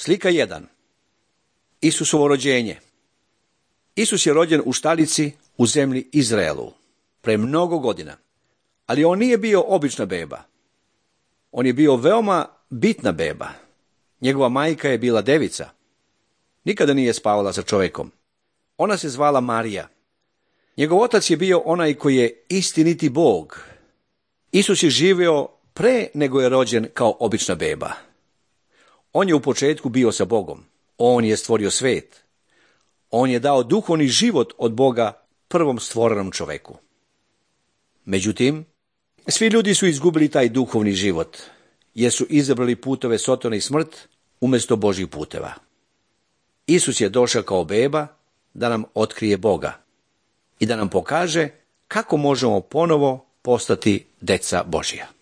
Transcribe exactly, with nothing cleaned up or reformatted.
Slika jedan. Isusovo rođenje. Isus je rođen u štalici u zemlji Izraelu pre mnogo godina, ali on nije bio obična beba. On je bio veoma bitna beba. Njegova majka je bila devica. Nikada nije spavala sa čovjekom. Ona se zvala Marija. Njegov otac je bio onaj koji je istiniti Bog. Isus je živio pre nego je rođen kao obična beba. On je u početku bio sa Bogom. On je stvorio svet. On je dao duhovni život od Boga prvom stvorenom čoveku. Međutim, svi ljudi su izgubili taj duhovni život, jer su izabrali putove sotone i smrt umjesto Božjih puteva. Isus je došao kao beba da nam otkrije Boga i da nam pokaže kako možemo ponovo postati deca Božja.